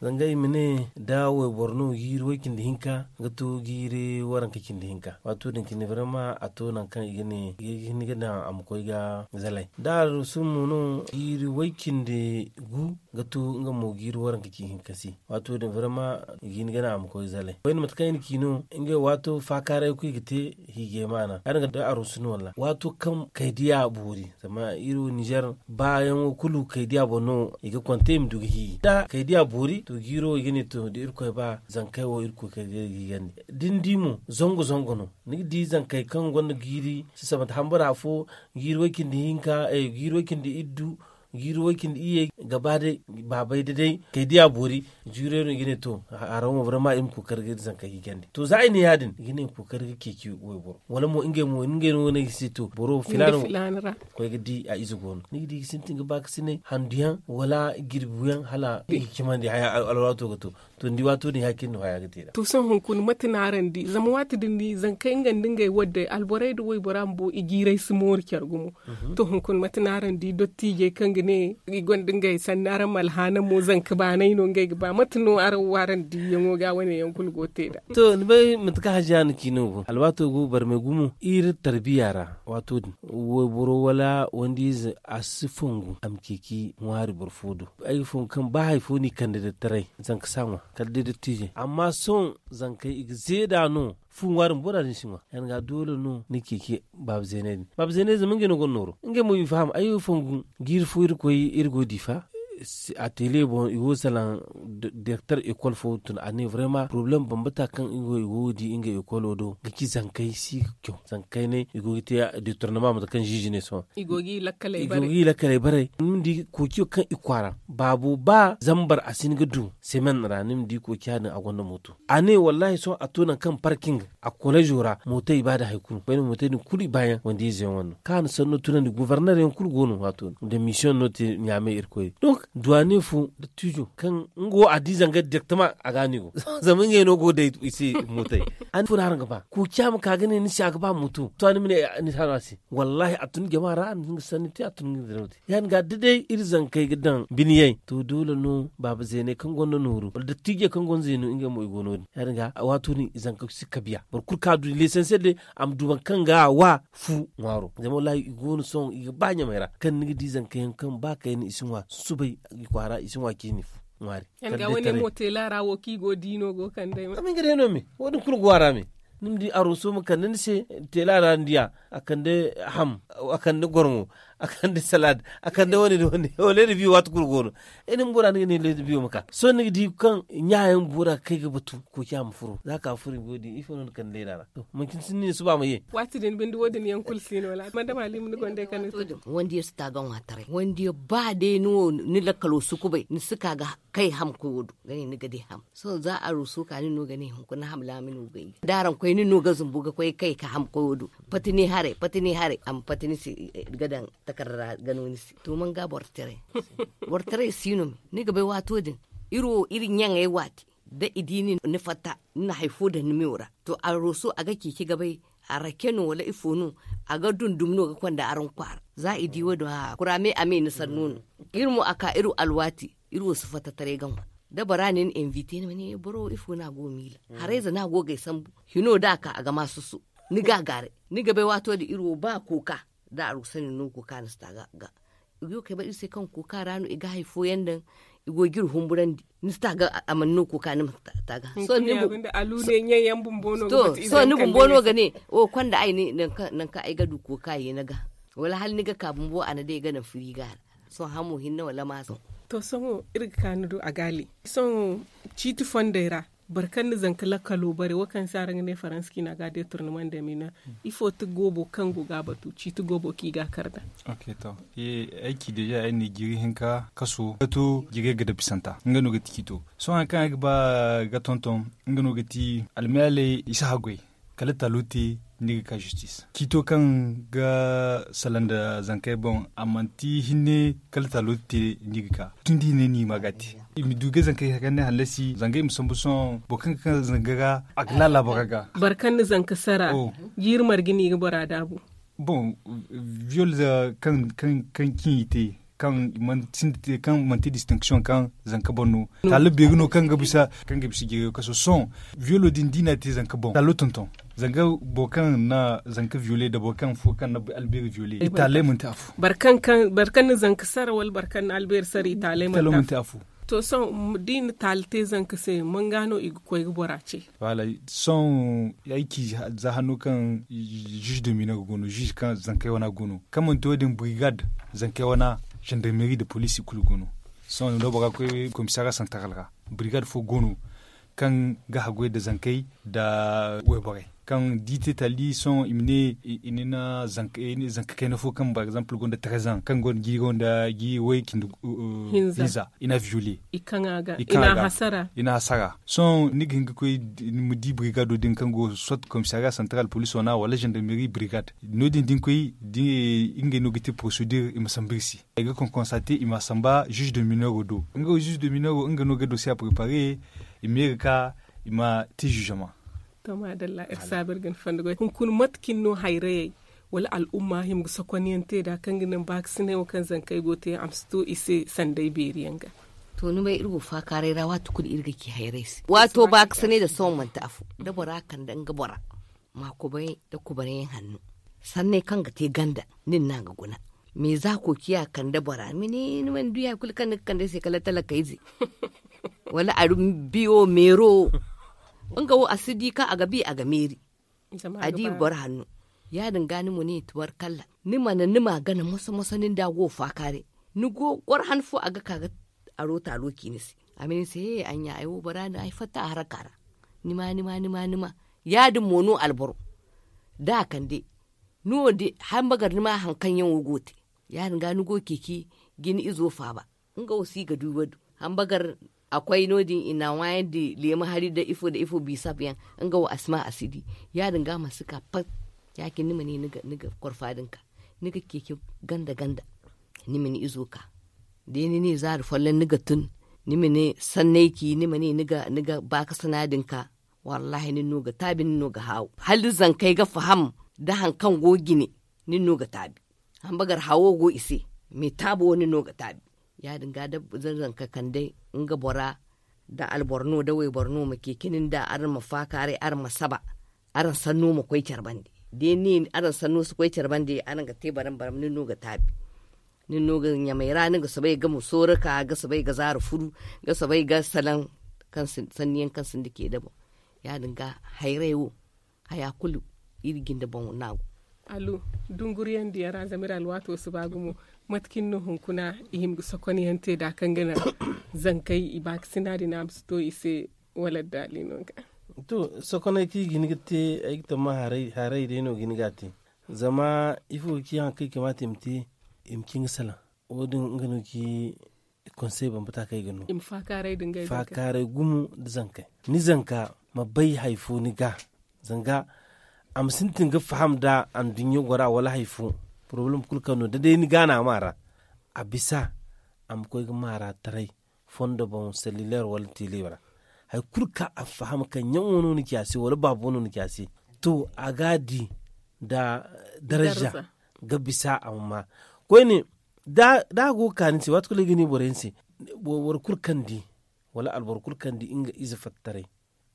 zanga i ma ne da wayboro no jiiri way cindi hinka ga to jiiri waranka cindi hinka. Waato din cine barama a to nangu kaŋ i ga ne i ga hin ga daŋ a ma koy ga zalay da a rusu mo no jiiri way cindi gu ga to nga mo jiiri waranka cindi hinka se. Waato din barama i ga hin ga daŋ a ma koy zalay koyne mate kaŋ i na ci no ngey waato faakaaray koy ga te. Hiijay maana ya- din ga da a rusu no walla waato kaŋ kaydiya boori zama iri wo ninzeer baayaŋo kulu kaydiya boŋ no i ga konte i ma du ga hiiji da kaydiya boori to jiiro i ga ne to da irkoy ba zankey wo iri koy kaydiya ga hiijandi. Da ni di mo zangu zangu no ni ga di zankey kaŋ gonda jiiri sisabante hambara fo jiiri way cindi hinka jiiri way cindi iddu jiiri way cindi iyye ga ba day baabay da day kaydiya boori. Jiirey no i ga ne to haraŋ wo barama i ma kookari ga iri zankey hiijandi to za i ne ya- din i ga ne i ma kookari ga ceeci wayboro wala mo ngey mo ngey no wane ga se to boro filaana wo koy ga di a ize go no ni ga di ga sintin ga ba ga sinay handu yaŋ wala jirbi yaŋ hala i ga cimandi haya alwaato ga to. To ni di waato din ya- cine no haya ga te nd'a. To sohõ hunkuna mate no araŋ di zama waati din di zankey nga nda ngey wadday alborey nda waybora bumbo i jiirey si mooru care gumo. To hunkuna mate no araŋ di dottiijey kaŋ ga ne i gonda ngey sanni araŋ ma alhaana mo zanka baanay no ngey ga ba mate no araŋ wo araŋ diiyaŋo ga wane yaŋ kulu go ga te nd'a. To ni bay mate kaŋ hajiya na ci no go alwaato go barmay gumo iri tarbiya ra. Waato din wayboro wala wanda ize a si fongu a ma ceeci ŋwaari boro fo do. Ay ga fongu kaŋ ba hari fo no i kande da taray zanka si a ŋwa kala day dottiijey amma sohõ zankey i ga zeeda no. Fu ŋwaari bumbo da din si ŋwa ya- din ga doole no ni ceeci baaba zeeney din baaba zeeney zama ngey no gonda nooro ngey mo i faham ay wo fongu jiiri fo iri koy iri go diifa. A tele boŋ i go ga salaŋ direkter ekol fo tun a ne barama porobalem bambata kaŋ i go ga di ngey ekolo do ga ci zankey si ga caw zankey ne i go ga te detornama mate kaŋ ziizi ne sohõ i go ga i lakkaley bare ni ma di kookiyo kaŋ i kwaara baabo ba zambar a si hin ga du semen ra ni ma di kookiya din a gonda mooto. A ne wallahi sohõ a to nangu kaŋ parking a koleezo ra mootey i ba da hari kulu koyne mootey din kulu i baayaŋ wanda ize yaŋ wane no kaŋ a na sanno tunandi goborner yaŋ kulu go no waato din da misiyoŋ no te ɲaamey irkoy donk duwaane fo dottiizo kaŋ nga wo a di zanga direktama a ga a no i go zama ngey no go day i se mootey. A ne fo no araŋ ga ba kookiya ma ka ga ne ni se a ga ba mooto to a ni ma ne ni hano a se. Wallahi a tun jama ra a na hin ga sanni te a tun ga diraw te ya- din ga da day iri zankey ga daŋ biniyey to doole no baaba zeeney kaŋ gonda nooru wala dattiijey kaŋ gonda zeenu ngey mo i go no- din ya- din ga waato din zanka si kabiya boro kulu kaŋ a du leesansel day a ma du boro kaŋ ga a wa fu ŋwaaro zama wallahi i go no sohõ i ga ba ɲamey ra kaŋ ni ga di zanka yaŋ kaŋ ba kayna i si ŋwa susubay i kwaara i si ŋwa ciini fu ŋwaari. Yaŋ ga wane mo teela ra wo kaŋ i go ga di no go ga kande ay ma. Zama nga day no me wo- din kulu go a ra me. Ni ma di aruuso ma kande ni se teela ra ni diya a kande ham a kande gorŋo a kande salaad a kande wane nda wane wo leeda biyo waati kulu go no. Ay na bumbo ra ni ga ne leeda biyo ma ka sohõ ni ga di kaŋ ɲa yaŋ bumbo ra ga kay ga batu kooci a ma furo za ka furo i go ga di ifo no ni kande leeda ra. To manci ni si ni ne suba ma ye. Waati din binde wo- din yaŋ kulu si no wala madama liima ni gonda ay kande to. Wanda yaŋ si taaga ŋwa taray wanda yaŋ ba day ni wo ni lakkalo si kubay ni si ka ga kay ham koyo do ga ne ni ga di ham. Sohõ za aruuso ka ni no ga ne hunkuna ham laami no ga i da araŋ koy ni no ga zumbu ga koy kay ka ham koyo do. Pati ni haray pati ni haray a ma pati ni se ga daŋ takarda ra ga no ni se to man ga boro taray. Boro taray si no me ni ga bay waato din iri wo iri ɲaŋey waati da i di ni ni fatta ni na hari fo daŋ ni meyo ra. To aruuso a ga ceeci ga bay a rake no wala ifo no a ga dundum no ga konda araŋ kwaara. Za i di wo- din a kuraame a me ni sanno no. Iri mo a ka iri alwaati iri wo si fatta taray ga ŋwa da bora ne ni invite ni ma ne boro wo ifo no a go ga miila. Harayze no a go ga ay sambu hino da a ka a ga ma susu. Ni ga a gaaray ni ga bay waato din iri wo ba kooka da aruuso ne no kooka ni si ta ga ga i go ga kay bay iri se kaŋ kooka ra no i ga hari fooyaŋ daŋ. I go ga iri humburandi ni si ta ga a mana no kooka ni ma ta ga. Sohõ ni bumbo no ga ne wo konda ay ne nangu kaŋ ay ga du kooka ye ni ga wala hala ni ga ka bumbo a na day ga naŋ firiga ra. Sohõ hamo hinne wala maaso. To sohõ iri ga ka ni do a gaali sohõ ciiti fondey ra boro kaŋ na zanka lakkalo bare wo kaŋ se araŋ ga ne faransa ciina ga detornama nda mina. Ifo ti goobo kaŋ go ga a batu ciiti goobo kaŋ i ga a kar nd'a? Ay ci deeza ay na ni jiiri hinka kaso ga to jiirey ga dabbisanta nga no ga ti ciito. Sohõ hari kaŋ ay ga ba ga tonton nga no ga ti almiyaaley i si haggoy kala taalo te ni ga ka zistis ciito kaŋ ga salaŋ nda zankey boŋ a manti hinne kala taalo te ni ga ka tun da hinne ni ma ga a te. i ma du ga zankey hari kaŋ ne hallasi zanga i ma sambu sohõ boro kaŋ ga kaŋ zanga ga a ga laala bora ga. Boro kaŋ na zanka sara jiiri marga no i ga bora daabu. Bon, viol kaŋ kaŋ kaŋ ciŋ i te kaŋ manti distinction kaŋ zanka boŋ no taala beeri no kaŋ ga bisa kaŋ ga bisa jiiri kaso sohõ. Violo din da i n'a te zanka boŋ taalo tonton zanga boro kaŋ na zanka viole nda boro kaŋ fo kaŋ na albeeri viole i taaley manti afo. Boro kaŋ na zanka sara wala boro kaŋ na albeeri sara i taaley manti afo. To sohõ da i na taali te zanka se manga no i ga koy ga bora ce? Sohõ ay ci za hanno kaŋ juge de mineur go no juge kaŋ zankey wana go no kaŋ manti wo- din brigade zankey wana gendarmerie nda police i kulu go no. Sohõ no bora ga koy komisariya santaral ra brigade fo go no kaŋ ga haggoy nda zankey nda wayborey kaŋ da i te taali sohõ i ma ne i na zanka kayna fo kaŋ par exemple gonda trezan kaŋ gonda jiiri gonda jiiri way cindi hinza i na viole i na hasara. Sohõ ni ga hin ga koy ni ma di brigado din kaŋ go soit komisariya santaral police wana wala gendarmerie brigade no- din da ni koy ngey no ga te procedure i ma sambu iri se. Ay ga konkonsate i ma a samba juge de mineur do nga wo juge de mineur nga no ga dossier a prepare i ma ye ga ka i ma te jugement. To maadalla iri saabu iri ga ni fondo goy hunkuna mate cine no hayrayey wala al'umma hima ga sokonyaŋ te nd'a kaŋ ga naŋ baakasinay wo kaŋ zankey go ga te a ma si to i se sanday beeri yaŋ ga? To ni bay iri go faakaaray ra waati kulu iri ga ci hayrayey se waato baakasinay nda sohõ manti afo da bora kande nga bora ma kubay nda kubayyaŋ hanno sanney kaŋ ga te ganda nin no a ga guna. Mais za kookiya kande bora ni mana du ya- kulu kaŋ ni ga kande ay se kala talakayze wala a biyo meero nga wo a si di kaŋ a ga bi a ga meeri a di boro hanno. Ya- din ga ni mo ni tubarkalla ni mana ni ma gana moso moso ni nda go faakaaray ni go goro han fo a ga ka ga aro taalo ci ni se a ma ne ni se he ay ɲa ay wo bora no ay fatta a haraka ra. Ni ma ni ma ni ma ni ma ya- din mo no alboro da a kande ni wo de hambagar ni ma hari kaŋ yaŋ wo go ga te ya- din ga ni go ceeci jine izo faaba nga wo si ga du wo- din hambagar a koy no- din i na a ŋwaayandi leemu hari nda ifo nda ifo bisab yaŋ nga wo a si ma a si di. Ya- din ga a mana si ka pat ya- cine ni ma ne ni ga korfa din ka ni ga ceeci ganda ganda ni ma ni izo ka da ni ne zaari folloŋ ni ga tun ni ma ne sanney ci ni ma ne ni ga baakasina din ka. Wallaahi nin no ga taabi nin no ga haawu hala da zankey ga faham da hari kaŋ go ga jine nin no ga taabi. Hambagar hawo go i se mais taabo wo nin no ga taabi. Ya- din ga da zanka kande nga bora da alboro no da wayboro no ma ceeci nin da araŋ ma faakaaray araŋ ma saba araŋ sanno ma koy care bande da ni ne araŋ sanno si koy care bande araŋ ga te baram baram nin no ga taabi. Nin no ga ɲamay ra ni ga soobay ga ma sooro ka ga soobay ga zaara furu ga soobay ga salaŋ sanniyaŋ kaŋ sinda ce da boŋ. Ya- din ga hayray wo haya kulu iri jinde boŋ no a go. Alu dunguriyandiyaŋ ra zama iri alwaato si ba gumo mate cine no hunkuna i hima ga sokonyaŋ te nd'a kaŋ ga naŋ zankey i baakasina din a ma si to i se wala addaali no ga? To sokoney kaŋ i ga hin ga te ay ga tamma haray day no ga hin ga a te. Zama ifo ga ci hari kaŋ i kamaata i ma te i ma ci nga salaŋ wo- din nga no ga ci konsey bambata kaŋ ay ga no. Faakaaray gumo nda zankey ni zanka ma bay hari fo ni ga zanga a ma sintin ga faham nda anduɲɲo gora wala hari fo porobalem kulu kaŋ no da day ni ga no a ma ra a bisa a ma koy ga maara taray fondo boŋ sellileer wala tiileer ra hari kulu kaŋ a faham kaŋ ɲaŋo no ni ci a se wala baabo no ni ci a se. To a ga a di nda darza ga bisa a ma ma koyne da a go ga ka ni se waati kulu ay ga ne boro yaŋ se boro kulu kaŋ di wala alboro kulu kaŋ di nga ize fattaray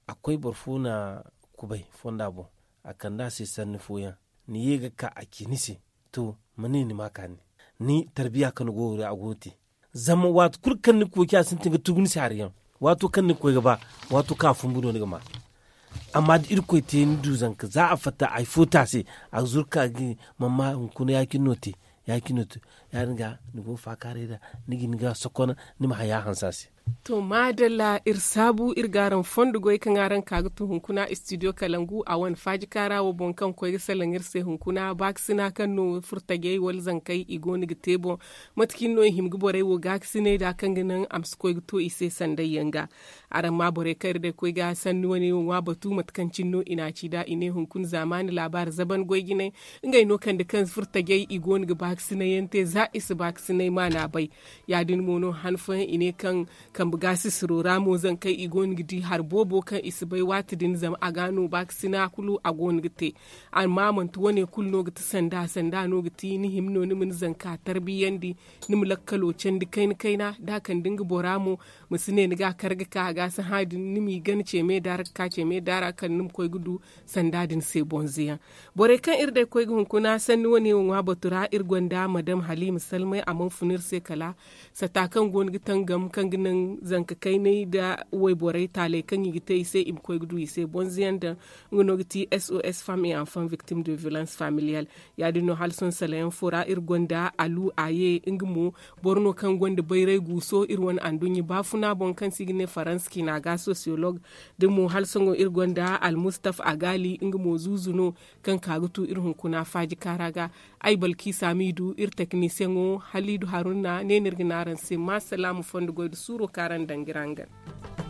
a koy boro fo na kubay fonda boŋ a kande a se sanni fooyaŋ ni ye ga ka a ci ni se. To ma ne ni ma kaani ni tarbiya kaŋ ni go ga wuri a go ga te. Zama waati kulu kaŋ ni ga koy ci a sintin ga tugu ni se hari yaŋ waato kaŋ ni ga koy ga ba waato kaŋ a fumbu no ni ga ma. Amma da irkoy te ni du zanka za a fatta hari fo te a se a ga zuru ka ga ne man ma hunkuna ya- cine no te ya- din ga ni go ga faakaaray nd'a ni ga hin ga sokona ni ma haya hanse a se. To maadalla iri saabu iri ga araŋ fondo goy kaŋ araŋ ka ga tun hunkuna studio kalangu a wane faajikaara wo boŋ kaŋ koy ga salaŋ iri se hunkuna baakasina kaŋ no furtajey wala zankey i go no ga te boŋ. Mate cine no i hima ga borey wo gaakasinay nd'a kaŋ ga naŋ a ma si koy ga to i se sandayyaŋ ga? Araŋ ma borey kaŋ iri day koy ga sanni wane wo ŋwa batu mate kaŋ cine no i n'a ci nd'a i ne hunkuna zaamaani laabaari zaban goy jinay ngey no kande kaŋ furtajey i go no ga baakasinayyaŋ te za i si baakasinay maana bay. Ya- din mo no han fooyaŋ i ne kaŋ Sambu gaasisiro ra mo zankey i go no ga di hari boobo kaŋ i si bay waati din zama a ga no baakasina kulu a go no ga te. Amma manti wane kulu no ga ti sanda sanda no ga ti ni hima no ni ma ni zanka tarbiyandi, ni ma lakkalo candi kayna kayna da a kande nga bora mo, ma si ne ni ga a kar ga ka a ga si hã din ni m'i gana ce me daara ga ka ce me daara kaŋ ni ma koy ga du sanda din se bonze yaŋ. Borey kaŋ iri day koy ga hunkuna sanni wane wo ŋwa batu ra iri gonda madam haliima salmay a mana fun iri se kala sata kaŋ go no ga tangam kaŋ ga naŋ zanka kaynay nda wayborey taaley kaŋ i ga te i se i ma koy ga du i se bonze yaŋ daŋ. Nga no ga ti sos femme et enfant victime de violence familiale. Ya- din no hala sohõ salayaŋ fo ra iri gonda alu aye nga mo boro no kaŋ gonda bayray guuso iri wane anduɲɲa baafuna boŋ kaŋ se i ga ne faransa ciina ga sociologue. Da mo hala sohõ iri gonda almustaf agali nga mo zuuzu no kaŋ ka ga tu iri hunkuna faaji kaara ga. Ay balki saami du iri teknisiyaŋo haliidu haruna ne no iri ga ne araŋ se ma salaamu fondo goy nda suuro kaŋ araŋ daŋ ga iri hangan.